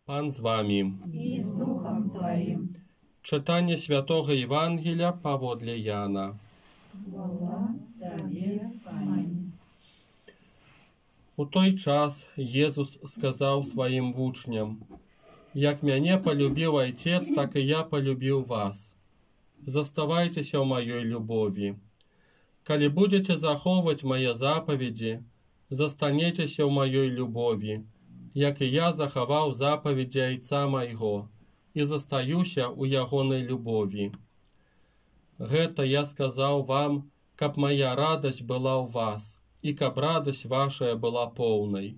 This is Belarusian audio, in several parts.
Пан з вами. И с Духом Твоим. Читання Святого Євангелія паводле Яна. Хвала Тебе, Пане. У той час Єзус сказав своїм вучням: «Як мяне полюбив Отец, так і я полюбив вас. Заставайтеся в моей любові. Коли будете заховувати мої заповіді, застанетеся в моей любові, як і я заховав заповіді Отца майго, і застаюся у ягонай любові. Гэта я сказаў вам, каб моя радасць была ў вас, і каб радасць вашая была поўнай.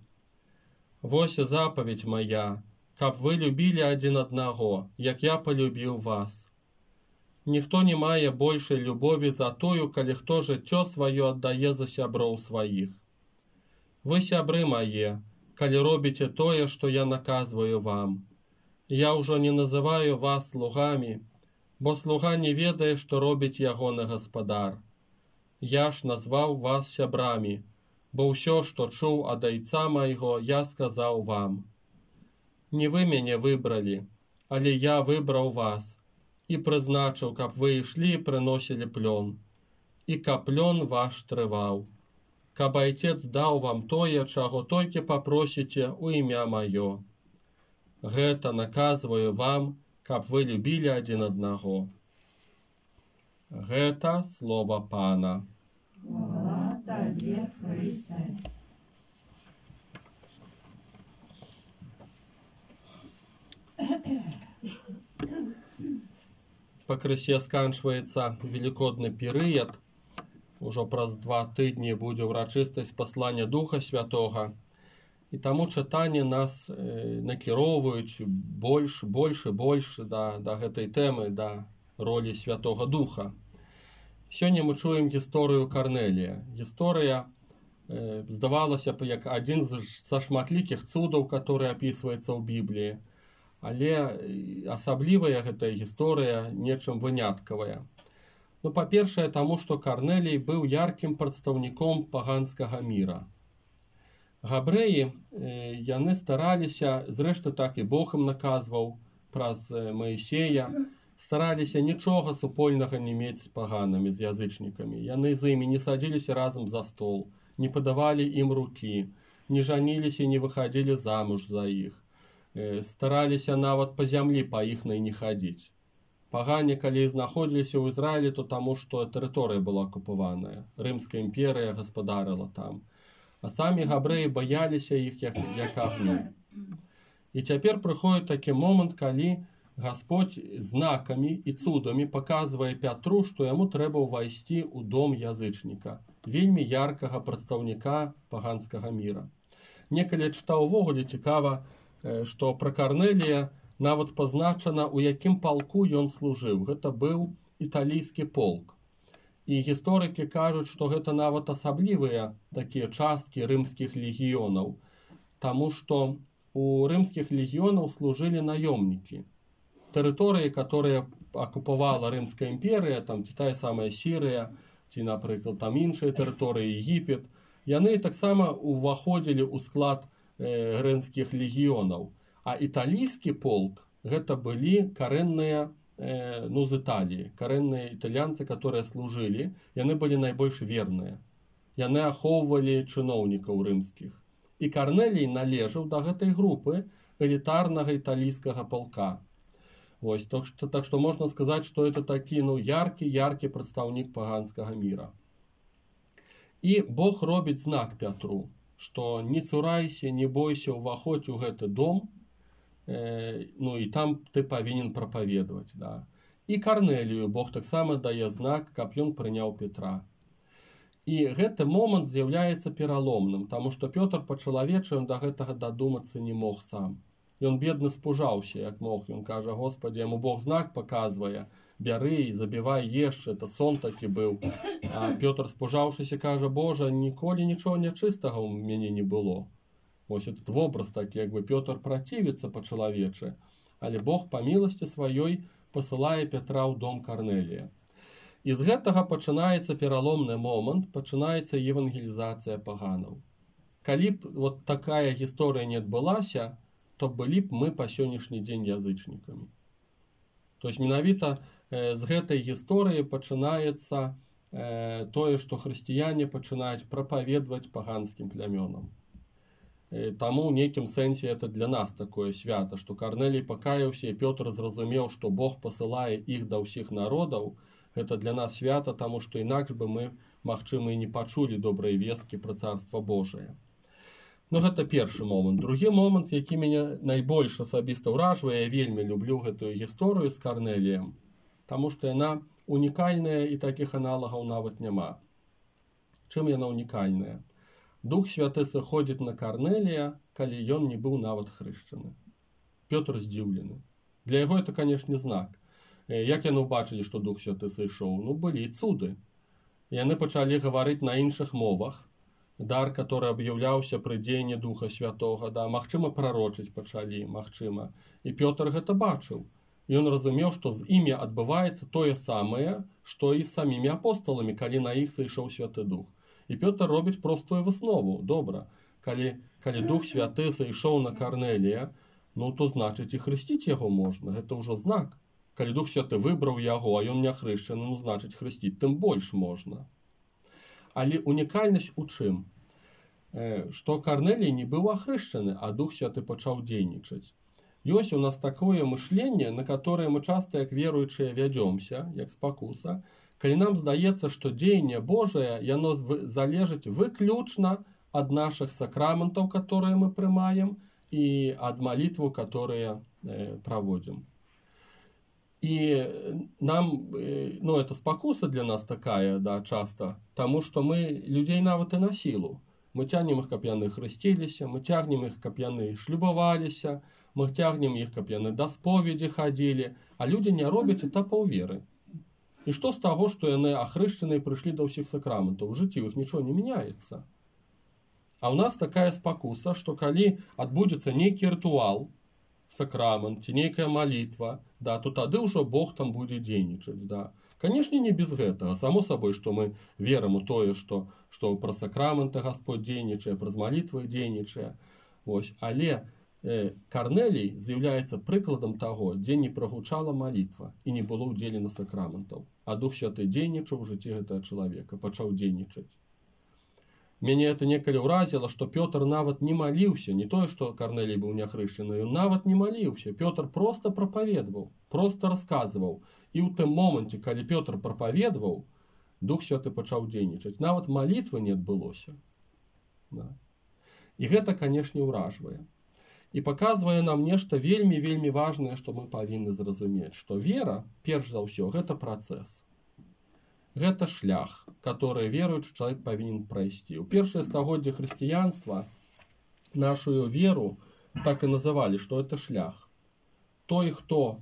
Вось запаведь моя, каб вы любілі адзін аднаго, як я полюбіў вас. Ніхто не мае большай любові за тую, калі хто жыццё сваё аддае за сяброў сваіх. Вы сябры мае, калі робіце тое, што я наказваю вам. Я ўжо не называю вас слугамі, бо слуга не ведае, што робіць ягоны гаспадар. Я ж назваў вас сябрамі, бо ўсё, што чуў ад Айца майго, я сказаў вам. Не вы мяне выбралі, але я выбраў вас і прызначыў, каб вы ішлі і прыносілі плён, і каб плён ваш трываў, каб Айцец даў вам тое, чаго толькі папросіце ў імя маё. Гэта наказваю вам, каб вы любілі адзін аднаго». Гэта слова Пана. Хвала Тебе, Христе. Пакрысе сканчваецца велікодны перыяд. Ужо праз 2 тыдні будзе ўрачыстасць паслання Духа Святога. І таму чытанні нас накіроўваюць больш да гэтай тэмы, да ролі Святога Духа. Сёння мы чуем гісторыю Карнелія. Гісторыя здавалася б як адзін са шматлікіх цудаў, который апісваецца ў Бібліі. Але асаблівая гэтая гісторыя нечым выняткавая. Ну, па-першае, таму, што Карнелій быў яркім прадстаўніком паганскага міра. Габрэі, яны стараліся, зрэшты так і Бог ім наказваў праз Маісея, стараліся нічога супольнага не мець з паганамі, з язычнікамі. Яны з імі не садзіліся разам за стол, не падавалі ім рукі, не жаніліся і не выхадзілі замуж за іх. Стараліся нават па зямлі па іхнай не хадзіць. Пагане, калі знаходзіліся ў Ізраілі, то таму, што тэрыторыя была акупаваная. Рымская імперыя гаспадарыла там. А самі габрэі баяліся іх як агню. І цяпер прыходзіць такі момант, калі Гасподзь знакамі і цудамі паказвае Пятру, што яму трэба ўвайсці ў дом язычніка, вельмі яркага прадстаўніка паганскага міра. Некалі чытаў увогуле цікава, што пра Карнелія нават пазначана, у якім палку ён служыў. Гэта быў італійскі полк. І гісторыкі кажуць, што гэта нават асаблівыя такія часткі рымскіх легіёнаў, таму што у рымскіх легіёнаў служылі наёмнікі. Тэрыторыі, которые акупавала Рымская імперыя, там ці тая самая Сірыя, ці, напрыклад, там іншыя тэрыторыі, Егіпет, яны таксама ўваходзілі ў склад рымскіх легіёнаў. А італійскі полк гэта былі карэнныя з Італіі, карэнныя італьянцы, которые служылі, яны былі найбольш верныя. Яны ахоўвалі чыноўнікаў рымскіх. І Карнелій належаў да гэтай групы элітарнага італійскага полка. Вось, так што можна сказаць, што это такі яркі прадстаўнік паганскага міра. І Бог робіць знак Пятру, што не цурайся, не бойся, ўваходзь у гэты дом, і там ты павінен прапаведаваць. Да. І Карнелію Бог таксама дае знак, каб ён прыняў Петра. І гэты момант з'яўляецца пераломным, таму што Пётр па-чалавечы да гэтага дадумацца не мог сам. Ён бедны спужаўся, як мог. Ён кажа: «Господи, яму Бог знак паказвае, бяры і забівай еш, это сон такі быў». А Пётр, спужаўшыся, кажа: «Божа, ніколі нічога нячыстага ў мяне не было». Вось этот вобраз такі, як бы Пётр працівіцца па-чалавечы, але Бог па міласці сваёй пасылае Петра ў дом Карнелія. І з гэтага пачынаецца пераломны момант, пачынаецца евангелізацыя паганаў. Калі б вот такая гісторыя не адбылася, то былі б мы па сённяшні дзень язычнікамі. То есть менавіта з гэтай гісторыі пачынаецца тое, што хрысціяне пачынаюць прапаведваць паганскім плямёнам. Таму ў нейкім сэнсе это для нас такое свята, што Карнелій пакаяўся і Пётр зразумеў, што Бог пасылае іх да ўсіх народаў. Гэта для нас свята, таму што інакш бы мы, магчыма, і не пачулі добрай весткі пра Царства Божае. Ну, гэта першы момант. Другі момант, які мяне найбольш асабіста ўражвае, я вельмі люблю гэтую гісторыю з Карнеліем, таму што яна унікальная і такіх аналагаў нават няма. Чым яна унікальная? Дух Святы сыходзіць на Карнелія, калі ён не быў нават хрышчаны. Пётр здзіўлены. Для яго это, канешне, знак. Як яны ўбачылі, што Дух Святы сышоў? Ну, былі цуды. Яны пачалі гаварыць на іншых мовах. Дар, который аб'яўляўся пры дзеянні Духа Святога, да, магчыма, прарочыць пачалі, магчыма. І Пётр гэта бачыў. Ён разумеў, што з імі адбываецца тое самае, што і з самімі апостоламі, калі на іх сышоў Святы Дух. І Пётр робіць простую выснову. Добра, калі Дух Святы сышоў на Карнелія, ну, то значыць і хрысціць яго можна. Гэта ўжо знак. Калі Дух Святы выбраў яго, а ён не хрышчаны, ну, значыць, хрысціць тым больш можна. Але унікальнасць у чым? Што Карнелій не быў ахрышчаны, а Дух Святы пачаў дзейнічаць. Ёсць у нас такое мышленне, на которое мы часто, як веруючыя, вядзёмся, як спакуса, калі нам здаецца, што дзеянне Божае, яно залежыць выключна ад нашых сакраментаў, которые мы прымаем, і ад малітваў, которые праводзім. І нам, ну, это спакуса для нас такая, да, часто, таму што мы людзей нават і на сілу. Мы цягнем іх, каб яны хрысціліся, мы цягнем іх, каб яны шлюбаваліся, мы цягнем іх, каб яны да споведзі хадзілі, а людзі не робяць этапаў веры. І што з таго, што яны ахрышчаныя прыйшлі да ўсіх сакраментаў? У жыцці іх нічого не мяняецца. А ў нас такая спакуса, што калі адбудзецца нейкі рытуал, сакрамент ці нейкая малітва, да, то тады ўжо Бог там будзе дзейнічаць. Да. Канешне, не без гэтага. Само сабой, што мы верым у тое, што пра сакраменты Гасподь дзейнічае, праз малітвы дзейнічае. Але Карнелій з'яўляецца прыкладам таго, дзе не прагучала малітва і не было ўдзелена сакраментаў. А Дух Святы дзейнічаў у жыцці гэтага чалавека, пачаў дзейнічаць. Мяне это некалі ўразіла, што Пётр нават не маліўся, не тое, што Карнелій быў няхрышчаны, ён нават не маліўся. Пётр проста прапаведваў, проста расказваў. І ў тым моманце, калі Пётр прапаведваў, Дух Святы пачаў дзейнічаць. Нават малітвы не адбылося. Да. І гэта, канешне, ўражвае. І паказвае нам нешта вельмі-вельмі важнае, што мы павінны зразумець, што вера, перш за ўсё, гэта працэс. Гэта шлях, который веруючы чалавек павінен прайсці. У першае стагоддзе хрысціянства нашу веру так і называлі, што это шлях. Той, хто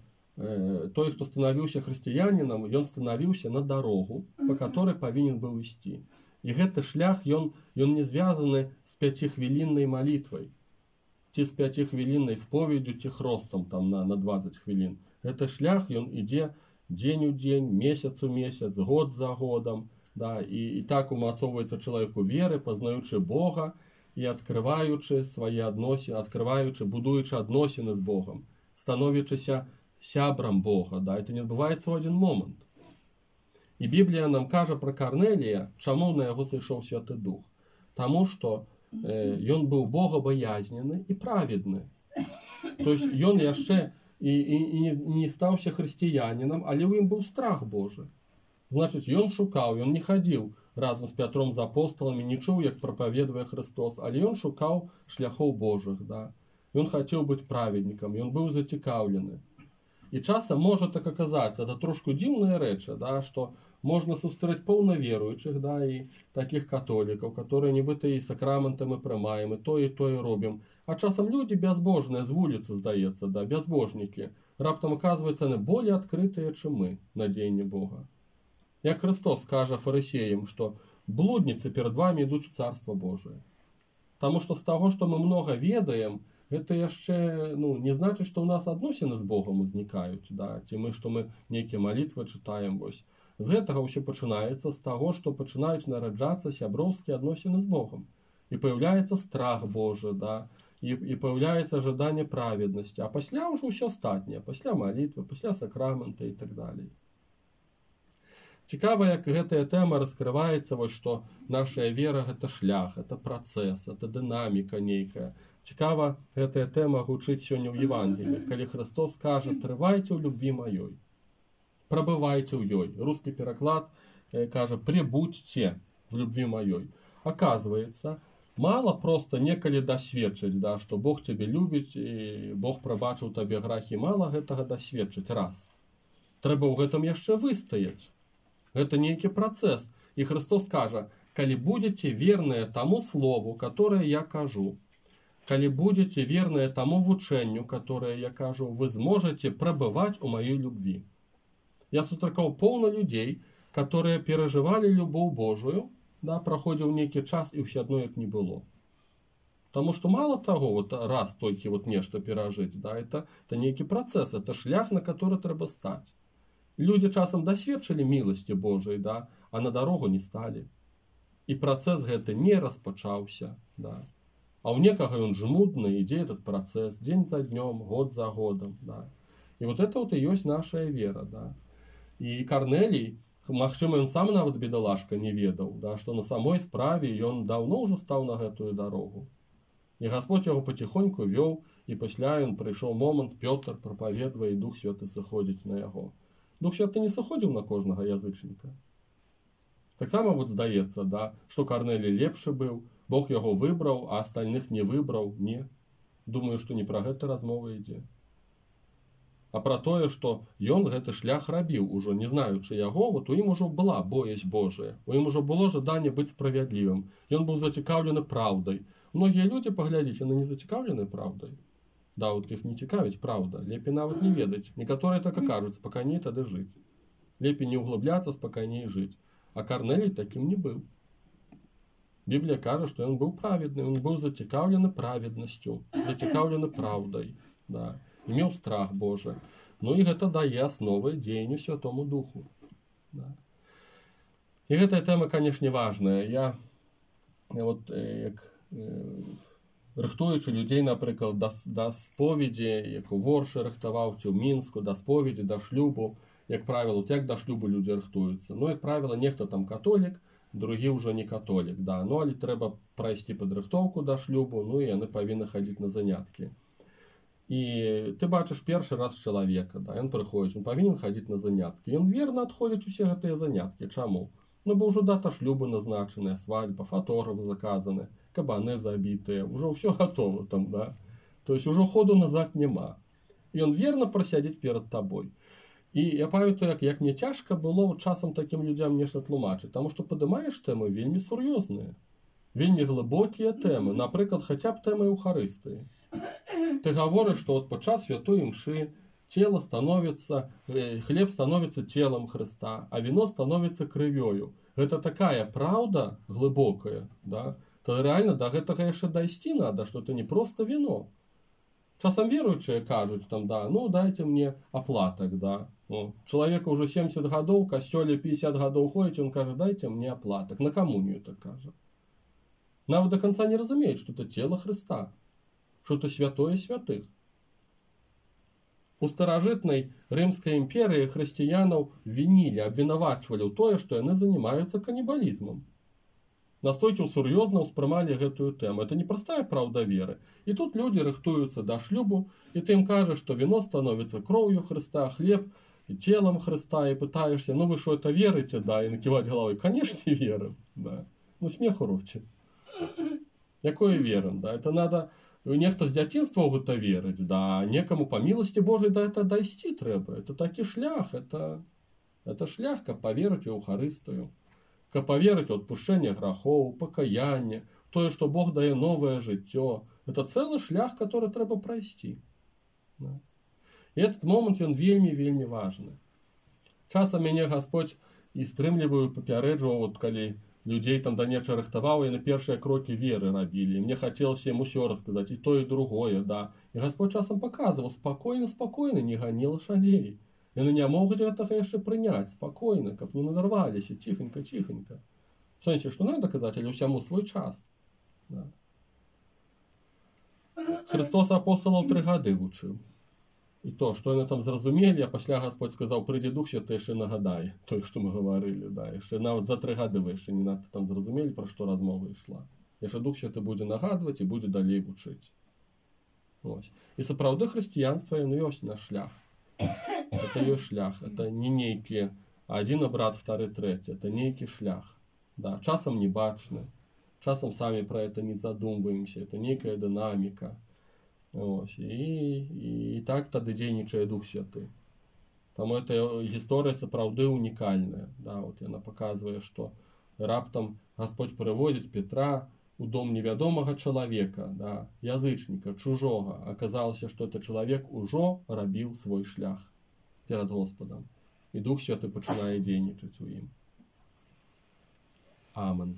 станавіўся хрысціянінам, ён станавіўся на дарогу, па которой павінен быў ісці. І гэты шлях, ён не звязаны з 5-хвіліннай малітвай, ці з 5-хвіліннай споведдзю, ці хростам там на 20 хвілін. Гэты шлях, ён ідзе дзень у дзень, месяц у месяц, год за годам, да, і так умацоўваецца чалавеку веры, пазнаючы Бога і адкрываючы свае адносіны, будуючы адносіны з Богам, становячыся сябрам Бога, да, это не адбываецца ў адзін момант. І Біблія нам кажа пра Карнелія, чаму на яго сышоў Святы Дух. Таму што ён быў богабаязнены і праведны. То есть ён яшчэ і не стаўся хрысціянінам, але ў ім быў страх Божы. Значыць, ён шукаў, ён не хадзіў разам з Пятром з апосталамі, не чуў, як прапаведвае Христос, але ён шукаў шляхоў Божых. Да? Ён хацеў быць праведнікам, ён быў зацікаўлены. І часам можа так аказацца, это трошку дзіўная рэч, да, што можна сустрэць паўнаверуючых, да, і такіх католікаў, которые нібыта і сакраменты мы прымаем, і тое робім. А часам людзі бязбожныя з вуліцы, здаецца, да, бязбожнікі. Раптам аказваецца, яны болей адкрытыя, чым мы на дзеянне Бога. Як Христос кажа фарысеям, што блудніцы перад вамі ідуць у Царства Божие. Таму што з таго, што мы многа ведаем, гэта яшчэ не значыць, што ў нас адносіны з Богам узнікаюць, да? Ці што мы нейкія малітвы чытаем. Вось. З гэтага ўсё пачынаецца з таго, што пачынаюць нараджацца сяброўскія адносіны з Богам. І паяўляецца страх Божы, да? і паўяўляецца жаданне праведнасці, а пасля ўжо ўсё астатняе, пасля малітвы, пасля сакрамента і так далей. Цікава, як гэтая тэма раскрываецца, вось што нашая вера гэта шлях, это працэс, это дынаміка нейкая. Цікава, гэтая тэма гучыць сёння ў Евангеліі, калі Христос кажа: трывайце ў любві маёй, прабывайце ў ёй. Рускі пераклад кажа: прибудьте в любви моей. Оказывается, мало просто некалі дасведчыць, да, што Бог цябе любіць і Бог прабачыў табе грахі. Мала гэтага дасведчыць раз. Трэба ў гэтым яшчэ выстаяць. Гэта нейкі працэс. І Христос кажа: калі будете верныя таму слову, которое я кажу, калі будете верныя таму вучэнню, которое я кажу, вы зможете прабываць у маёй любві. Я сустракаў поўна людзей, которые переживали любовь Божию, да, проходил некий час, и все одно их не было. Потому что мало того, вот раз только вот нечто пережить, да, это некий процесс, это шлях, на который треба стать. Люди часом досведчили милости Божией, да, а на дорогу не стали. И процесс гэты не распачаўся, да. А у некого он жмутный, ідзе этот процесс день за днем, год за годом, да. И вот это вот и есть наша вера, да. И Корнелий, магчыма, ён сам нават бедалашка не ведаў, да, што на самой справе ён даўно ўжо стаў на гэтую дарогу. І Гасподзь яго паціхоньку вёў, і пасля ён прыйшоў момант, Пётр прапаведвае, і Дух Святы сыходзіць на яго. Дух Святы не сыходзіў на кожнага язычніка. Таксама вот здаецца, да, што Корнелій лепшы быў, Бог яго выбраў, а астальных не выбраў. Не. Думаю, што не пра гэта размова ідзе. А пра тое, што ён гэты шлях рабіў ужо, не знаючы яго, вот у ім ужо была боязь Божая, у ім ужо было жаданне быць справядлівым. Ён быў зацікаўлены праўдай. Многія людзі, паглядзіце, яны не зацікаўлены праўдай. Да, вот іх не цікавіць праўда, лепей нават не ведаць. Некаторыя так і кажуць: спакайней тады жыць. Лепей не углубляцца, спакайней жыць. А Корнелій такім не быў. Біблія кажа, што ён быў праведны, ён быў зацікаўлены праведнасцю, зацікаўлены праўдай, да. Имел страх Божий. Ну и гэта дае асновы дзеянню Святому Духу. Да. И гэтая тэма, конечно, важная. Я вот як рыхтуючы людзей, напрыклад, да споведзі, як у Воршы рыхтаваў, ці ў Мінску, да споведзі, да шлюбу, як правіла, як да шлюбу людзі рыхтуюцца. Ну, як правіла, нехта там католік, другі ўжо не католік, да. Ну, але трэба прайсці падрыхтоўку да шлюбу, ну і яны павінны хадзіць на заняткі. І ты бачыш першы раз чалавека, да, ён прыходзіць, он павінен хадзіць на заняткі. Ён верна адходзіць усе гэтыя заняткі. Чаму? Ну, бо ўжо дата шлюбу назначаная, свадьба, фатограф заказаны, кабаны забітыя, ўжо ўсё гатова там, да. То есть ўжо ходу назад няма. І ён верна прасядзіць перад табой. І я памятаю, як мне цяжка было часам такім людзям нешта тлумачыць, таму што падымаеш тэмы вельмі сур'ёзныя, вельмі глыбокія тэмы, напрыклад, хаця б тэмы Еўхарыстыі. Ты говоришь, что вот подчас святой мши тело становится, хлеб становится телом Христа, а вино становится крывёю. Это такая правда глубокая, да? То реально до гэтага яшчэ дайсці надо, что это не просто вино. Часам веруючыя кажуць там, да, ну дайте мне оплаток, да. Ну, человеку уже 70 гадоў, касцёле 50 гадоў ходіць, он кажа: дайте мне оплаток. На камунію так кажа. Нават до конца не разумеет, что это тело Христа. Что это святое святых. У старажытнай Рымскай імперыі хрысціянаў вінілі, абвінавачвалі ў тое, што яны занимаются канібалізмам. Настолькі сур'ёзна ўспрымалі гэтую тэму. Это непростая праўда веры. І тут людзі рыхтуюцца да шлюбу, і ты ім кажаш, што вино становится кроўю Христа, хлеб телом Христа, і пытаешься: ну вы что, это верите? Да, і наківаць головой: конечно, верим. Да. Ну смеху роце. Якое верим? Да? Это надо... Нехта з дзяцінства ў гэта верыць, да, некаму па міласці Божай да гэта дайсці трэба. Это такі шлях, это шлях, каб паверыць у Еўхарыстыю, каб паверыць у адпушчэнне грахоў, пакаянне, тое, што Бог дае новае жыццё. Это цэлы шлях, который трэба прайсці. Да. І этот момант, ён вельмі важны. Часам мяне Гасподзь і стрымліваю, папярэджваў, вот калі людзей там да нечага рыхтаваў, і на першыя крокі веры рабілі. Мне хацелася ім усё расказаць, і то, і другое, да. І Гасподзь часам паказваў: спакойна, не гані лашадзей. Яны не могуць гэтага яшчэ прыняць, спакойна, каб не надарваліся, ціхенька. В сэнсе, што надо казаць, але ўсяму свой час. Да. Христос апостолаў 3 гады вучыў. І то, што яны там зразумелі, а пасля Гасподь сказаў, прыйдзе Дух Святы, яшчэ нагадае тое, што мы гаварылі. Да. Яшчэ нават за 3 гады вы яшчэ не надта там зразумелі, пра што размова ішла. Яшчэ Дух Святы будзе нагадваць і будзе далей вучыць. Ось. І сапраўды хрысціянства яно ёсць наш шлях. Это ёсць шлях. Это не нейкі адзін абрад, вторы, трэці. Это нейкі шлях. Да. Часам не бачны. Часам самі пра это не задумваемся. Это нейкая дынаміка. Ось. І так тады дзейнічае Дух Святы. Таму эта гісторыя сапраўды унікальная. Да, вот яна паказвае, што раптам Гасподь прыводзіць Петра у дом невядомага чалавека, да, язычніка, чужога. Аказалася, што этот чалавек ужо рабіў свой шлях перад Господам. І Дух Святы пачынае дзейнічаць у ім. Амен.